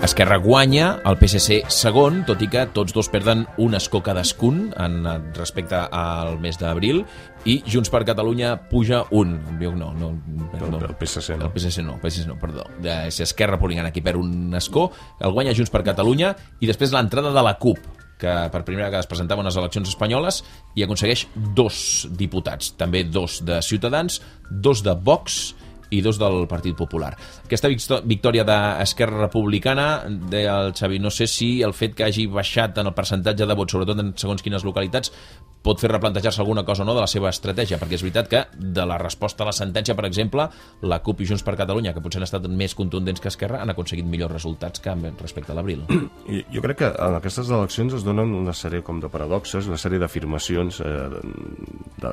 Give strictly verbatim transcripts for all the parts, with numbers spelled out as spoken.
Esquerra guanya, el P S C segon, tot i que tots dos perden un escó cadascun en respecte al mes d'abril, i Junts per Catalunya puja un. No, no, perdó. El P S C no. El P S C no, P S C no, perdó. És Esquerra Republicana qui perd un escó, el guanya Junts per Catalunya, i després l'entrada de la CUP, que per primera vegada es presentava a unes eleccions espanyoles i aconsegueix dos diputats, també dos de Ciutadans, dos de Vox i dos del Partit Popular. Aquesta victòria d'Esquerra Republicana, deia el Xavi, no sé si el fet que hagi baixat en el percentatge de vots, sobretot en segons quines localitats, pot fer replantejar-se alguna cosa o no de la seva estratègia, perquè és veritat que de la resposta a la sentència, per exemple, la CUP i Junts per Catalunya, que potser han estat més contundents que Esquerra, han aconseguit millors resultats que respecte a l'abril. Jo crec que en aquestes eleccions es donen una sèrie com de paradoxes, una sèrie d'afirmacions eh, de,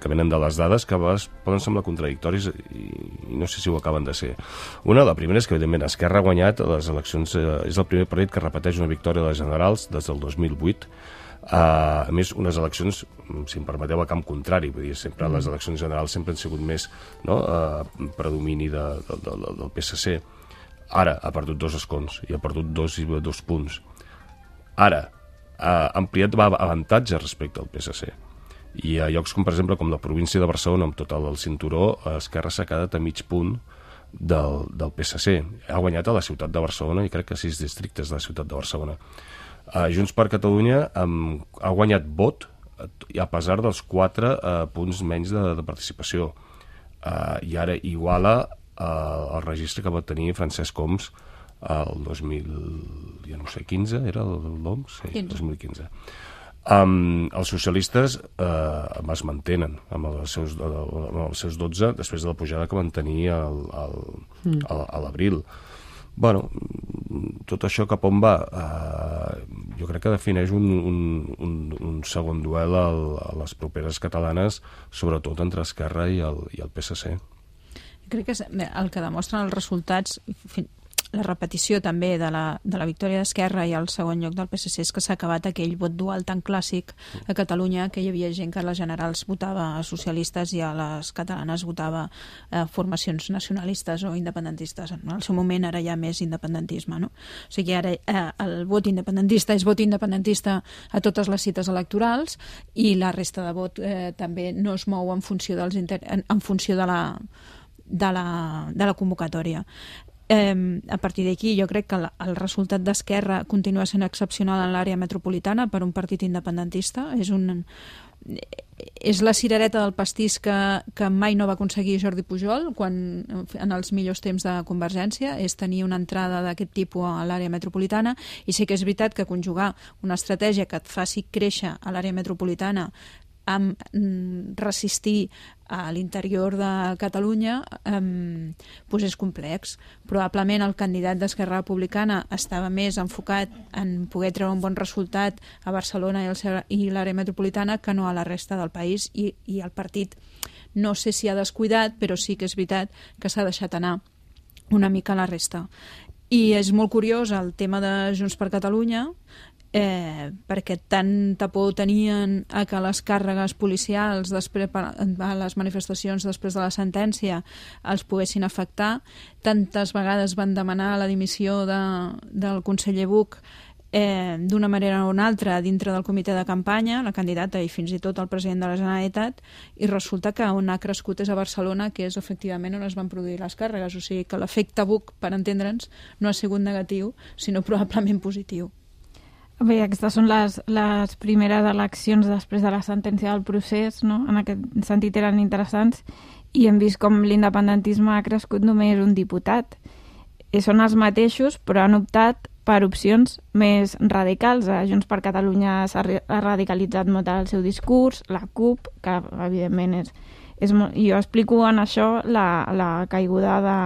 que venen de les dades que a vegades poden semblar contradictoris i, i no sé si ho acaben de ser. Una, la primera és que, evidentment, Esquerra ha guanyat les eleccions, eh, és el primer partit que repeteix una victòria a les generals des del dos mil vuit. Uh, a més, unes eleccions, si em permeteu, a camp contrari, vull dir, sempre mm. les eleccions generals sempre han sigut més, no?, uh, predomini de, de, de, del P S C. Ara ha perdut dos escons i ha perdut dos, dos punts. Ara ha ampliat avantatge respecte al P S C. I a llocs com, per exemple, com la província de Barcelona, amb tot el cinturó, Esquerra s'ha quedat a mig punt del, del P S C. Ha guanyat a la ciutat de Barcelona i crec que sis districtes de la ciutat de Barcelona. Uh, Junts per Catalunya um, ha guanyat vot a pesar dels quatre uh, punts menys de, de participació. Uh, I ara iguala uh, el registre que va tenir Francesc Homs uh, el dos mil, ja no sé, quinze, era el l'Homs? Sí, dos mil quinze. Um, els socialistes uh, es mantenen amb els, seus, amb els seus dotze després de la pujada que van tenir al, al, mm. a, a l'abril. Bueno, tot això cap on va? Uh, jo crec que defineix un, un, un, un segon duel al, a les properes catalanes, sobretot entre Esquerra i el, i el P S C. Crec que el que demostren els resultats, la repetició també de la, de la victòria d'Esquerra i el segon lloc del P S C, és que s'ha acabat aquell vot dual tan clàssic a Catalunya, que hi havia gent que a les generals votava a socialistes i a les catalanes votava a formacions nacionalistes o independentistes. En el seu moment ara hi ha més independentisme, no? O sigui, ara eh, el vot independentista és vot independentista a totes les cites electorals i la resta de vot eh, també no es mou en funció, dels inter... en, en funció de la, de la, de la convocatòria. Eh, a partir d'aquí jo crec que el, el resultat d'Esquerra continua sent excepcional en l'àrea metropolitana per un partit independentista. És, un, és la cirereta del pastís que, que mai no va aconseguir Jordi Pujol quan, en els millors temps de Convergència, és tenir una entrada d'aquest tipus a l'àrea metropolitana, i sí que és veritat que conjugar una estratègia que et faci créixer a l'àrea metropolitana amb resistir a l'interior de Catalunya eh, doncs és complex. Probablement el candidat d'Esquerra Republicana estava més enfocat en poder treure un bon resultat a Barcelona i l'àrea metropolitana que no a la resta del país, i, i el partit no sé si ha descuidat, però sí que és veritat que s'ha deixat anar una mica a la resta. I és molt curiós el tema de Junts per Catalunya, Eh, perquè tanta por tenien a que les càrregues policials després, a les manifestacions després de la sentència els poguessin afectar. Tantes vegades van demanar la dimissió de, del conseller Buch eh, d'una manera o una altra dintre del comitè de campanya, la candidata i fins i tot el president de la Generalitat, i resulta que on ha crescut és a Barcelona, que és efectivament on es van produir les càrregues. O sigui que l'efecte Buch, per entendre'ns, no ha sigut negatiu, sinó probablement positiu. Bé, aquestes són les, les primeres eleccions després de la sentència del procés, no? En aquest sentit eren interessants, i hem vist com l'independentisme ha crescut només un diputat. I són els mateixos, però han optat per opcions més radicals. A Junts per Catalunya s'ha radicalitzat molt el seu discurs, la CUP, que evidentment és... és molt... Jo explico en això la, la caiguda de,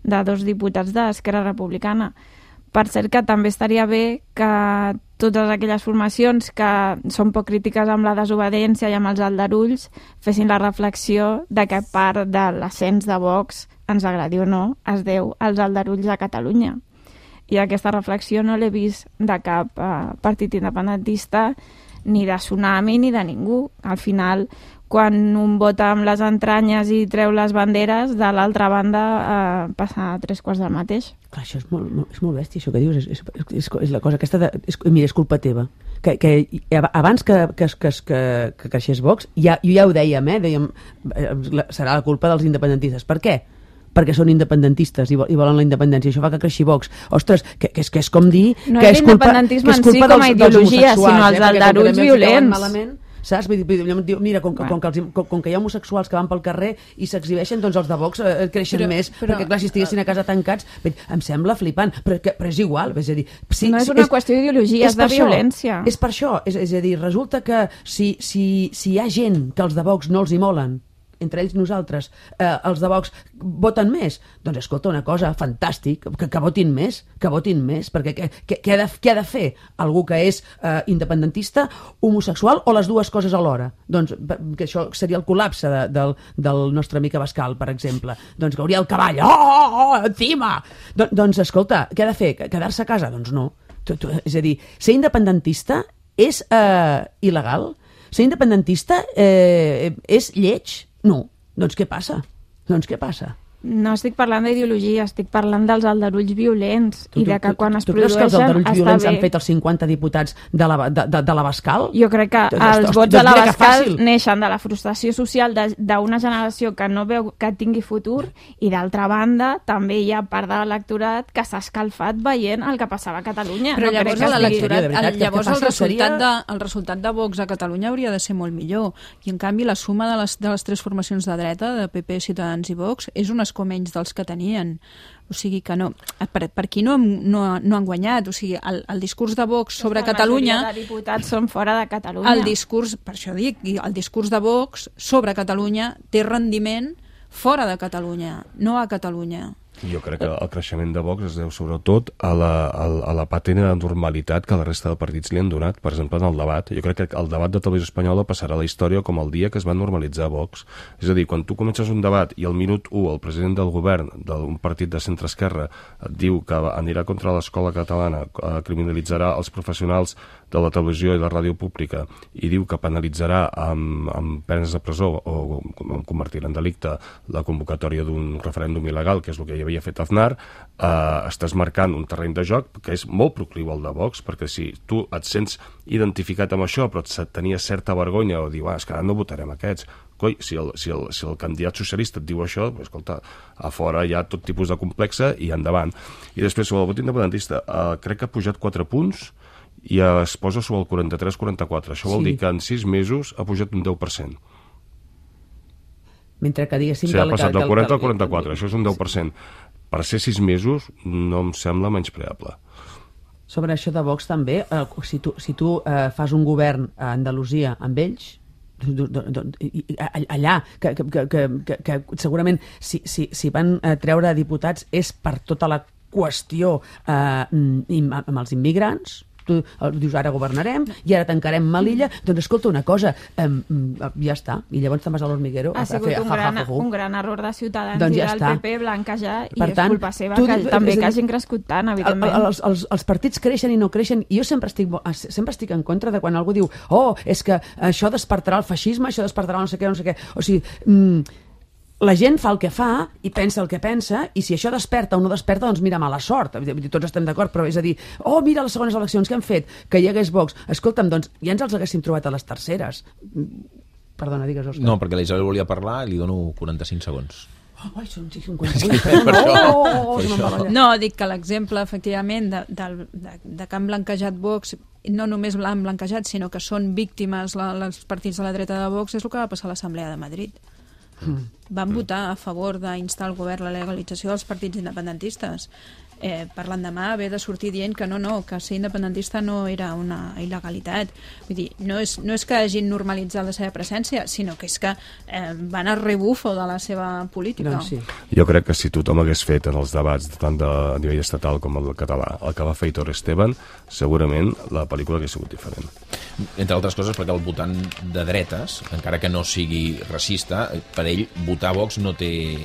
de dos diputats d'Esquerra Republicana. Per cert, que també estaria bé que totes aquelles formacions que són poc crítiques amb la desobediència i amb els aldarulls fessin la reflexió de que part de l'ascens de Vox, ens agradi o no, es deu als aldarulls de Catalunya. I aquesta reflexió no l'he vist de cap eh, partit independentista, ni de Tsunami, ni de ningú. Al final, quan un vota amb les entranyes i treu les banderes, de l'altra banda eh, passa a tres quarts del mateix. Clar, això és molt, molt, és molt bèstia, això que dius, és, és, és, és la cosa aquesta de... És, mira, és culpa teva. Que, que abans que, que, que, que, que creixés Vox, ja, jo ja ho dèiem, eh? Dèiem, serà la culpa dels independentistes. Per què? Perquè són independentistes i, i volen la independència. Això fa que creixi Vox. Ostres, que, que, és, que és com dir... No que és és culpa, l'independentisme que és en si culpa com a dels, ideologia, dels sinó els eh? aldarulls violents. Malament, saps? Vull dir, diu, mira, com, com, que els, com, com que hi ha homosexuals que van pel carrer i s'exhibeixen, doncs els de Vox eh, creixen però, més, però, perquè clar, si estiguessin a casa tancats, em sembla flipant, però, que, però és igual, és a dir... Si, no és una és, qüestió d'ideologia, és, és de violència. És per això, és, és a dir, resulta que si, si, si hi ha gent que els de Vox no els hi molen, entre ells nosaltres, eh, els de Vox voten més, doncs escolta una cosa, fantàstic, que, que votin més, que votin més, perquè què, què, què, ha, de, què ha de fer algú que és eh, independentista, homosexual o les dues coses alhora? Doncs que això seria el col·lapse de, del, del nostre amic Abascal, per exemple. Doncs que hauria el cavall, oh, oh, oh encima! Don, doncs escolta, què ha de fer? Quedar-se a casa? Doncs no. Tu, tu, és a dir, ser independentista és eh, il·legal? Ser independentista eh, és lleig? No. Doncs què passa? Doncs què passa? No estic parlant d'ideologia, estic parlant dels aldarulls violents tu, i de que quan tu, es tu produeixen creus que els aldarulls està violents bé. Han fet els cinquanta diputats de la, de, de, de l'Abascal? Jo crec que doncs, els doncs, vots doncs de l'Abascal doncs neixen de la frustració social d'una generació que no veu que tingui futur i d'altra banda també hi ha part de l'electorat que s'ha escalfat veient el que passava a Catalunya. Però no llavors l'electorat, el, llavors el resultat, seria... de, el resultat de Vox a Catalunya hauria de ser molt millor i en canvi la suma de les, de les tres formacions de dreta, de P P, Ciutadans i Vox, és un escó menys dels que tenien. O sigui que no, per, per qui no, no, no han guanyat, o sigui, el, el discurs de Vox sobre la Catalunya... La majoria de diputats són fora de Catalunya. El discurs, per això dic, el discurs de Vox sobre Catalunya té rendiment fora de Catalunya, no a Catalunya. Jo crec que el creixement de Vox es deu sobretot a la, a, a la patent de normalitat que la resta de partits li han donat, per exemple, en el debat. Jo crec que el debat de Televisió Espanyola passarà a la història com el dia que es va normalitzar Vox. És a dir, quan tu comences un debat i al minut u el president del govern d'un partit de centre-esquerra et diu que anirà contra l'escola catalana, eh, criminalitzarà els professionals de la televisió i la ràdio pública i diu que penalitzarà amb, amb penes de presó o convertirà en delicte la convocatòria d'un referèndum il·legal, que és el que hi havia fet Aznar, eh, estàs marcant un terreny de joc que és molt procliu al de Vox, perquè si tu et sents identificat amb això però et tenies certa vergonya o diu, ah, és que ara no votarem aquests, coi, si el, si el, si el candidat socialista et diu això, pues, escolta, a fora hi ha tot tipus de complexa i endavant. I després sobre el vot independentista, eh, crec que ha pujat quatre punts i es posa sobre el quaranta-tres quaranta-quatre. Això vol sí. dir que en sis mesos ha pujat un deu per cent. Mentre que diguéssim... O sigui, ha passat del quaranta al quaranta-quatre, això és un deu per cent. Per ser sis mesos no em sembla menyspreable. Sobre això de Vox també, eh, si tu, si tu eh, fas un govern a Andalusia amb ells, allà que, que, que, que, que segurament si, si, si van treure diputats és per tota la qüestió eh, amb els immigrants. Tu dius, ara governarem i ara tancarem Melilla, doncs escolta una cosa, eh, ja està, i llavors te'n vas a l'Hormiguero ha sigut a fer, un, ha, gran, ha, ha, un gran error de Ciutadans doncs i ja del està. P P blanquejar i per és tant, culpa seva tu, que, tu, també dir, que hagin crescut tant, evidentment. El, els, els, els partits creixen i no creixen i jo sempre estic, sempre estic en contra de quan algú diu, oh, és que això despertarà el feixisme, això despertarà no sé què, no sé què, o sigui... Mm, la gent fa el que fa i pensa el que pensa i si això desperta o no desperta, doncs mira, mala sort. Tots estem d'acord, però és a dir, oh, mira les segones eleccions que han fet, que hi hagués Vox. Escolta'm, doncs ja ens els haguéssim trobat a les terceres. Perdona, digues, Òscar. No, perquè la Isabel volia parlar i li dono quaranta-cinc segons. Oh, ai, són cinquanta-vuit. No, no, no, dic que l'exemple, efectivament, de, de, de, de que han blanquejat Vox, no només l'han blanquejat, sinó que són víctimes la, els partits de la dreta de Vox, és el que va passar a l'Assemblea de Madrid. Mm. Van votar a favor d'instar al govern la legalització dels partits independentistes. Eh, per l'endemà haver de sortir dient que no, no, que ser independentista no era una il·legalitat. Vull dir, no és, no és que hagin normalitzat la seva presència, sinó que és que eh, van a rebufo de la seva política. Doncs sí. Jo crec que si tothom hagués fet en els debats, tant de, a nivell estatal com el català, el que va fer Aitor Esteban, segurament la pel·lícula hagués sigut diferent. Entre altres coses perquè el votant de dretes, encara que no sigui racista, per ell votar Vox no té,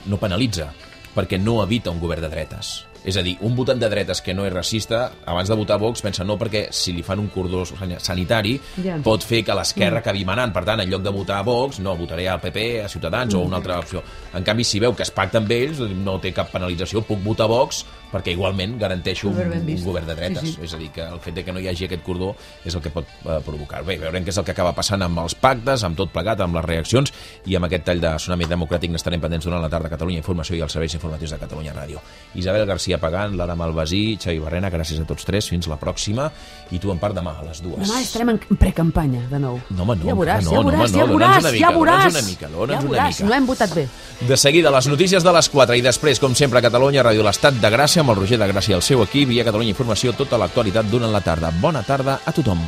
no penalitza, perquè no evita un govern de dretes. És a dir, un votant de dretes que no és racista, abans de votar Vox, pensa no, perquè si li fan un cordó sanitari Ja. pot fer que l'esquerra acabi manant. Per tant, en lloc de votar a Vox, no, votaré al P P, a Ciutadans o una altra opció. En canvi, si veu que es pacta amb ells, no té cap penalització, puc votar Vox perquè igualment garanteixo un, Ben un vist. govern de dretes. Sí, sí. És a dir, que el fet de que no hi hagi aquest cordó és el que pot eh, provocar. Bé, veurem què és el que acaba passant amb els pactes, amb tot plegat, amb les reaccions i amb aquest tall de Tsunami Democràtic n'estarem pendents durant la tarda a Catalunya Informació i als serveis informatius de Catalunya Ràdio. Isabel García Pagant, Lara Malvasí, Xavi Barrena, gràcies a tots tres, fins la pròxima, i tu en part demà a les dues. Demà estarem en precampanya, de nou. No, home, no, ja veuràs, no, ja no, veuràs, home, no, ja dona'ns veuràs, una mica, ja veuràs, dona'ns una mica, dona'ns ja una veuràs, mica. no hem votat bé. De seguida, les notícies de les quatre i després, com sempre, a Catalunya Ràdio, l'Estat de Gràcia, amb el Roger de Gràcia i el seu equip, i a Catalunya Informació, tota l'actualitat durant la tarda. Bona tarda a tothom.